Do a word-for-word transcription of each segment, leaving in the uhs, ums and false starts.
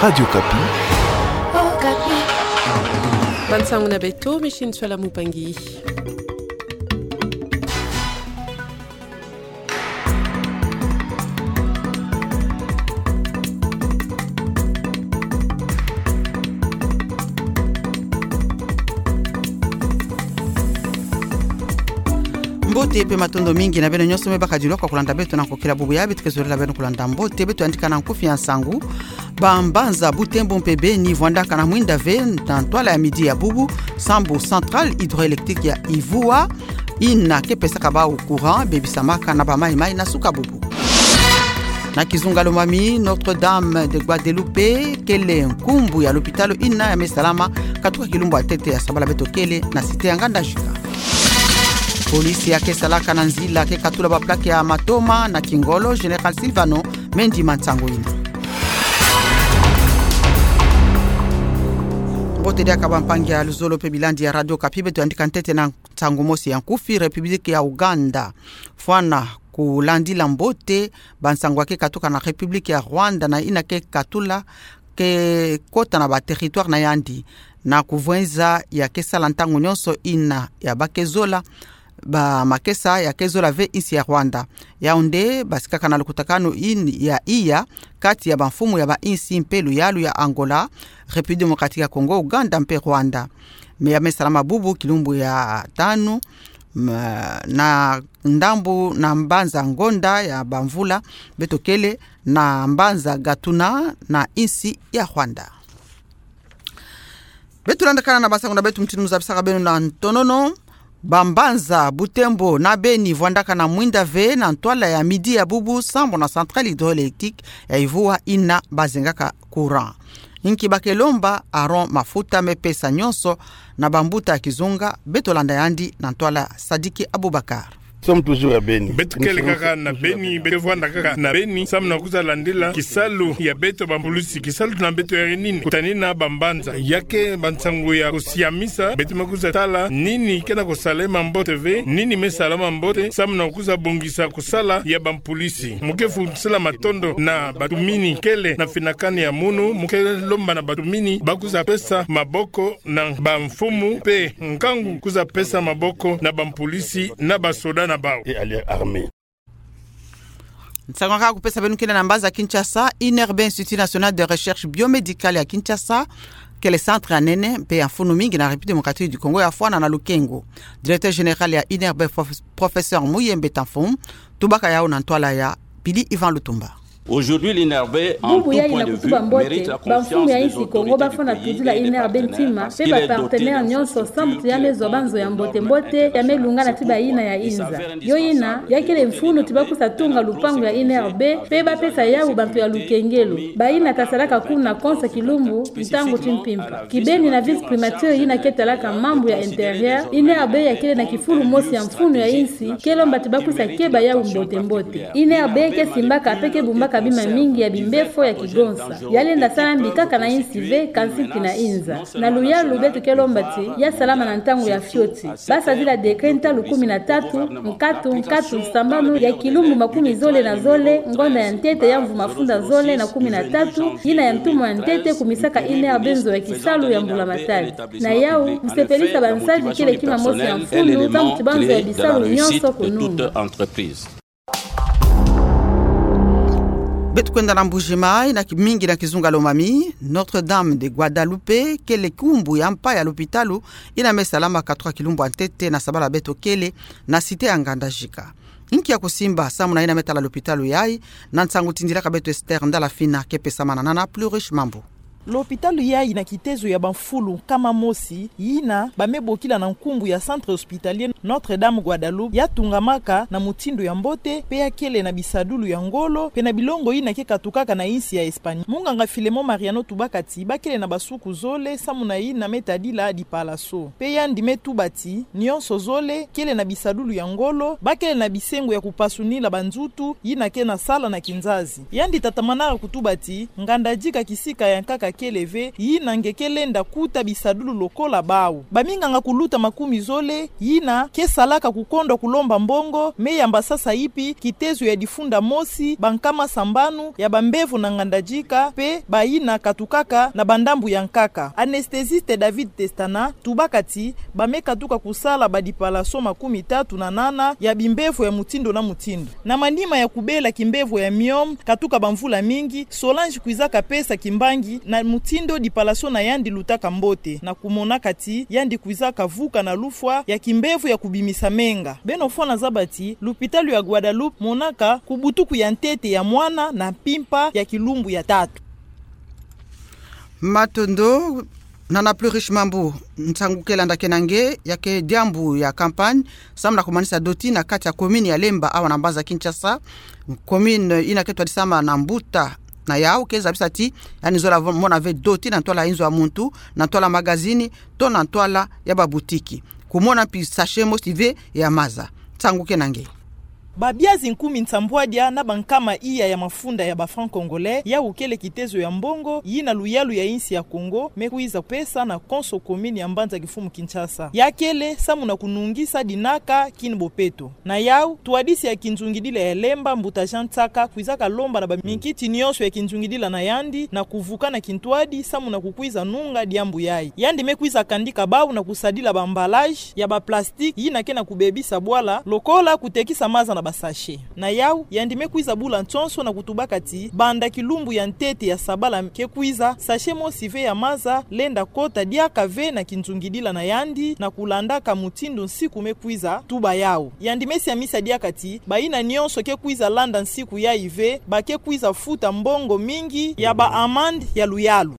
Radio Okapi. Okapi. Bansangu na beto, Micheline Nswala Mupangi. Mbote pe matondo mingi na beno nyonso me bakadilwa kwa kulanda beto na nkokila bubu ya beto ke zolela beno kulanda mbote. Beto yandika na nkufi ya nsangu. Bambanza Butembo mpe Beni vwandaka na mwinda ve na ntwala ya midi ya bubu, sambu centrale hydroélectrique ya Ivua, yina ke pesaka bawu courant, bebisamaka na bamayi-mayi na suka bubu. Na kizunga Lomami, Notre-Dame de Guadeloupe kele nkumbu ya lopitalo yina ya me salama katuka kilumbu ya ntete ya sabala beto kele na cité ya Ngandajika. Police ya ke salaka na nzila ke katula baplaque ya matoma na kingolo, Général Sylvano me ndima nsangu yina. Mbote diaka bampangi ya luzolo pe bilandi ya Radio Okapi, beto yandika ntete na nsangu mosi ya nkufi. République ya Ouganda fwana kulandila mbote bansangu ya ke katuka na République ya Rwanda na yina ke katula ke kota na ba territoire na yandi, na kuvwenza ya ke sala ntangu nyonso yina ya ba ke zola, bamakesa ya ke zola ve insi ya Rwanda. Yau nde basikaka na lukutakanu yina ya iya kati ya bamfumu ya ba insi mpe luyalu ya Angola, République Démocratique ya Congo, Ouganda mpe Rwanda. Me ya me salama bubu kilumbu ya tanu, ma, na ndambu na mbanza Ngonda ya bamvula, beto kele na mbanza Gatuna na insi ya Rwanda. Beto landakana na bansangu na beto mutindu mu zabisaka beno na ntonono. Bambanza Butembo na Beni vwandaka na mwinda ve na ntwala ya midi ya bubu, sambu na centrale hydroélectrique ya Ivua yina bazengaka courant. Inki ba ke lomba? Aaron Mafuta me pesa nyonso na bambuta ya kizunga. Beto landa yandi na ntwala Sadiki Abubakar. Sommes toujours à Beni. Beto kele kaka na Beni, beto vwanda kaka na Beni, samu na kwiza landila kisalu ya beto bampulusi. Kisalu na beto ya nini? Kutanina bambanza. Ya ke bansangu ya kusiamisa, beto me kwiza tala nini ke na kusalama mbote ve, nini me salama mbote, samu na kwiza bongisa kusala ya bampulusi. Mu ke fulutusila matondo na batumini kele na finakani ya munu, mu ke lomba na batumini ba kwiza pesa maboko na bamfumu mpe nkangu kwiza pesa maboko na bampulusi na basoda na bawu. Et à l'armée. Nsangu ya kaka kupesa beno kele na mbanza Kinshasa. INRB, Institut National de Recherche Biomédicale ya Kinshasa, kele centre ya nene mpe ya mfunu mingi na République Démocratique du Congo, ya fwana na lukengo. Directeur général ya INRB, prof-, professeur Muyembe Tanfum, tubaka yau na ntwala ya Billy Ivan Lutumba. Aujourd'hui, l'INRB, en tout point de vue, mérite la confiance de toutes les autorités du pays et de toute la communauté internationale. Bubu yai na kutuba mbote, bamfumu ya insi Kongo bafwana tudila INRB ntima, mpe bapartenaire nyonso, samu ti ya me zwa banzo ya mbote mbote, ya me lungana ti bayina ya inza. Yo yina, ya kele mfunu ti ba kwiza tunga lupangu ya INRB, mpe ba pesa yau bantu ya lukengelo. Bayina ta salaka kuna konsa kilumbu, ntangu ti mpimpa. Kibeni na vice-primature yina ke talaka mambu ya intérieur, INRB ya kele na kifulu mosi ya mfunu ya insi, ke lomba ti ba kwiza keba yau mbote mbote. INRB ke simbaka mpe ke bumbaka bima mingi ya bimbefo ya kigonsa. Ya lenda sala mbi kaka na insi ve, kansi mpe na inza. Na luyalu beto ke lomba ti ya salama na ntangu ya fioti. Ba sadila décret ntalu kumi na tatu, nkatu, nkatu, sambanu ya kilumbu makumi zole na zole, ngonda ya ntete ya mvu mafunda zole na kumi na tatu, yina ya ntumu ya ntete kumisaka INRB nzo ya kisalu ya mbula matadi. Na yau, kusepelisa bansadi kele kima mosi ya mfunu, samu ti banzo ya bisalu nyonso kununga. Beto kwenda na Mbuji-Mayi, na ki-, mingi na kizunga Lomami, Notre-Dame de Guadalupe kele nkumbu ya mpa ya lopitalo yina me salama katuka kilumbu ya ntete na sabala beto kele na cité ya Ngandajika. Nki ya kusimba samu na yina me tala lopitalo yai? Na nsangu tindilaka beto Esther Ndala Fina ke pesa manana na Plurish Mambu. Lopitalo yai na kitezo ya bamfulu nkama mosi, yina ba me bokila na nkumbu ya Centre Hospitalier Notre-Dame Guadalupe, ya tungamaka na mutindu ya mbote, mpe ya kele na bisadulu ya ngolo, mpe na bilongo yina ke katukaka na insi ya Espagne. Munganga Filemon Mariano tubaka ti ba kele na basuku zole, samu na yina me tadila dipalaso. Mpe yandi me tuba ti, nyonso zole kele na bisadulu ya ngolo, ba kele na bisengo ya kupasunila banzutu yina ke na sala na kinzazi. Yandi tatamanaka kutuba ti, Ngandajika kisika ya nkaka kele ve, yina nge ke lenda kuta bisadulu lokola bau. Baminganga kuluta makumi zole, yina ke salaka kukondwa kulomba mbongo, me yamba sasa ipi kitezo ya difunda mosi, bankama sambanu, ya bambevo na nganda jika, pe bayina katukaka na bandambu ya nkaka. Anesthésiste David Testana, tubaka ti, bame katuka kusala badipalaso makumi tatu na nana ya bimbevo ya mutindu na mutindu. Na manima ya kubela kimbevo ya myome, katuka bamvula mingi, Solange kwizaka pesa kimbangi na mutindu dipalaso na yandi lutaka mbote, na kumonaka ti yandi kwizaka vuka na lufwa ya kimbevo ya kubimisa menga. Beno fwana zaba ti, lupitalu ya Guadeloupe monaka kubutuku ya ntete ya mwana na mpimpa ya kilumbu ya tatu. Matondo. Nana Plus Riche Mambu, nsangu ke landa kena nge, ya ke diambu ya campagne, samu na kumanisa doti na kati ya commune ya Lemba awa na mbanza Kinshasa. Commune yina ke twadisama na mbuta na yau ke zabisa ti, yandi zola vo-, mona ve doti na ntwala inzo ya muntu, na ntwala magazini, to na ntwala ya babutiki. Kumona mpi sachet mosi ve ya maza. Nsangu kena nge. Babiazi nkumi nsambwadia na bankama iya ya mafunda ya ba francs congolais, yau kele kitezo ya mbongo yina luyalu ya insi ya Kongo me kwiza pesa na konso commune ya mbanza kimfumu Kinshasa. Ya kele samu na kunungisa dinaka kin bopeto. Na yau, ntwadisi ya kinzungidila ya Lemba, mbuta Jean Tsaka, kwizaka lomba na baminkiti nyonso ya kinzungidila na yandi na kuvuka na kintwadi samu na kukwiza nunga diambu yayi. Yandi me kwiza kandika bau na kusadila ba emballage ya ba plastique yina ke na kubebisa bwala, lokola kutekisa maza na ba sachet. Na yau, yandi me kwiza bula nsonso na kutubaka ti, banda kilumbu ya ntete ya sabala ke kwiza, sachet mosi ve ya maza lenda kota diaka ve na kinzungidila na yandi, na kulandaka mutindu nsiku me kwiza tuba yau. Yandi me siamisa diaka ti, bayina nyonso ke kwiza landa nsiku yayi ve, ba ke kwiza futa mbongo mingi ya ba amande ya luyalu.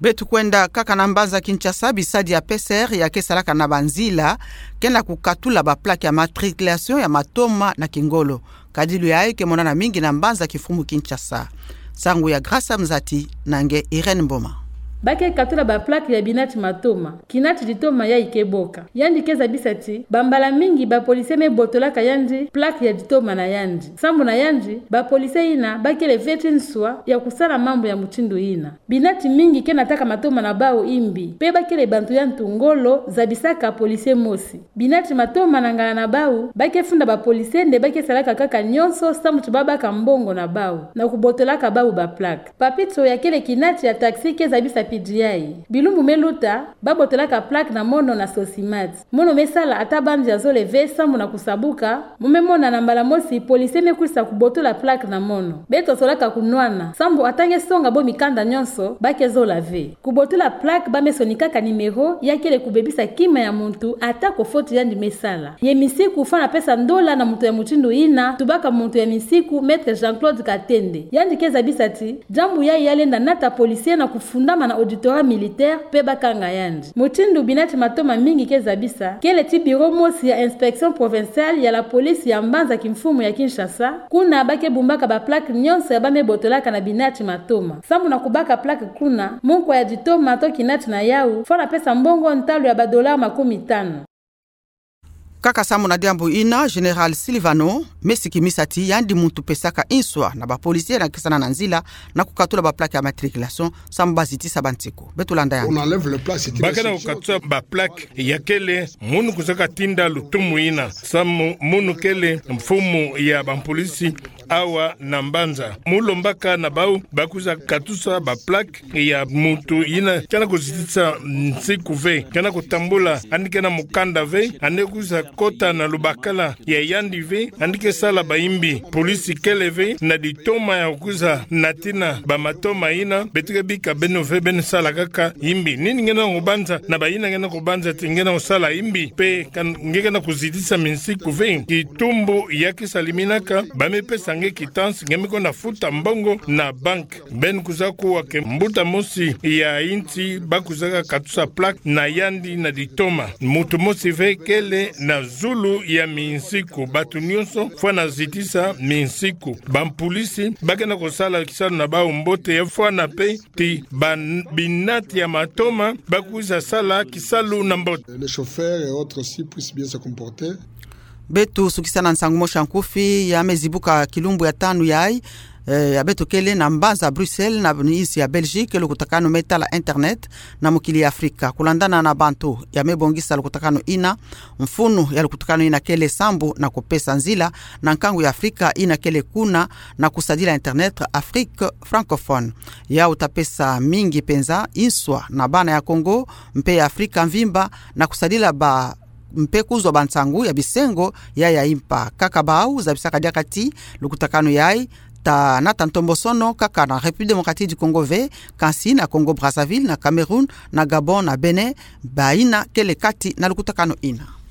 Beto kwenda kaka na mbanza Kinshasa, bisadi ya P C R ya ke salaka na banzila ke na kukatula ba plaque ya matriculation ya matoma na kingolo. Kadilu yayi ke monana mingi na mbanza kimfumu Kinshasa. Nsangu ya Grace Mzati na nge Irène Mboma. Ba ke katula ba plaque ya binati matoma, kinati ditoma yayi ke boka. Yandi ke zabisa ti, bambala mingi ba policier me botolaka yandi plaque ya ditoma na yandi. Sambu na yandi, ba policier yina ba kele ve ti nswa ya kusala mambu ya mutindu yina. Binati mingi ke nataka matoma na bau imbi, pe ba kele bantu ya ntu ngolo, zabisaka policier mosi. Binati matoma na ngala na bau, ba ke funda ba policier nde ba ke salaka kaka nyonso sambu ti ba baka mbongo na bau, na kubotolaka bau ba plaque. Papito ya kele kinati ya taxi ke zabisa pidi yayi. Bilumbu me luta, ba botolaka plaque na mono na Sosimat. Mono me sala ata bandi ya zole ve sambu na kusabuka, mo me mona na mbala mosi policier me kwisa kubotola plaque na mono. Beto solaka kunwana, sambu ata nge songa bo mikanda nyonso, ba ke zola ve. Kubotola plaque ba me sonikaka numéro, ya kele kubebisa kima ya muntu, ata ko faute yandi me sala. Ye misiku fwana pesa ndola na muntu ya mutindu yina, tubaka muntu ya misiku, Maître Jean-Claude Katende. Yandi ke zabisa ti, diambu yayi ya lenda nata policier na kufundama na auditorat militaire, pe ba kanga yandi. Mutindu binati matoma mingi ke zabisa, kele ti bureau mosi ya inspection provinciale ya la police ya mbanza kimfumu ya Kinshasa, kuna ba ke bumbaka ba plaque nyonso ya ba me botolaka na binati matoma. Sambu na kubaka plaque kuna, munkwa ya ditoma to kinati na yau, fwana pesa mbongo ntalu ya ba dollars makumi tanu. Kaka sambu na diambu yina, Général Silvano me sikimisa ti yandi muntu pesaka nswa na ba policier na kesana na nzila na kukatula ba plaque ya matriculation, sambu ba zitisa ba nsiku. Beto landa yandi. Ba ke na kukatula ba plaque ya kele munu kwizaka tinda lutumu yina, sambu munu kele mfumu ya ba policier awa na mbanza. Mu lombaka na bau ba kwiza katusa ba plaque ya muntu yina ke na kuzitisa nsiku ve, ke na kutambula, yandi ke na mukanda ve, yandi kwiza kota na lubakala ya yandi ve, yandi ke sala ba imbi. Polisi kele ve na ditoma ya kwiza natina ba matoma yina, beto ke bika beno ve beno sala kaka imbi. Nini nge na kubanza na bayina nge na kubanza ti nge na kusala imbi, pe ka nge ke na kuzitisa minsiku ve? Kitumbu ya ke saliminaka, ba me pesa nge quittance, nge me kwenda futa mbongo na banque. Beno kwiza kuwa ke mbuta mosi ya insi ba kwizaka katusa plaque na yandi na ditoma. Muntu mosi ve kele na zulu ya minsiku. Bantu nyonso fwana zitisa minsiku. Ba polisi ba ke na kusala kisalu na bau mbote, ya fwana pe ti ba n-, binati ya matoma ba kwiza sala kisalu na mbote. Les chauffeurs et autres aussi puissent bien se comporter. Beto sukisa na nsangu mosi ya nkufi ya me zibuka kilumbu ya tanu yayi. eh, ya beto kele na mbanza Bruxelles na insi ya Belgique, lukutakanu me tala internet na mokili ya Afrika. Kulandana na bantu ya me bongisa lukutakanu ina, mfunu ya lukutakanu ina kele sambu na kupesa nzila na nkangu ya Afrika ina kele kuna na kusadila internet Afrique francophone. Yau ta pesa mingi penza inswa na bana ya Congo mpe ya Afrika mvimba na kusadila ba mpe kuzwa bansangu ya bisengo ya ya impa. Kaka bau zabisaka diaka ti lukutakanu yai ta nata ntombosono kaka na République Démocratique du Congo ve, kansi na Congo Brazzaville, na Cameroun, na Gabon, na Bénin, baina kele kati na lukutakanu ina.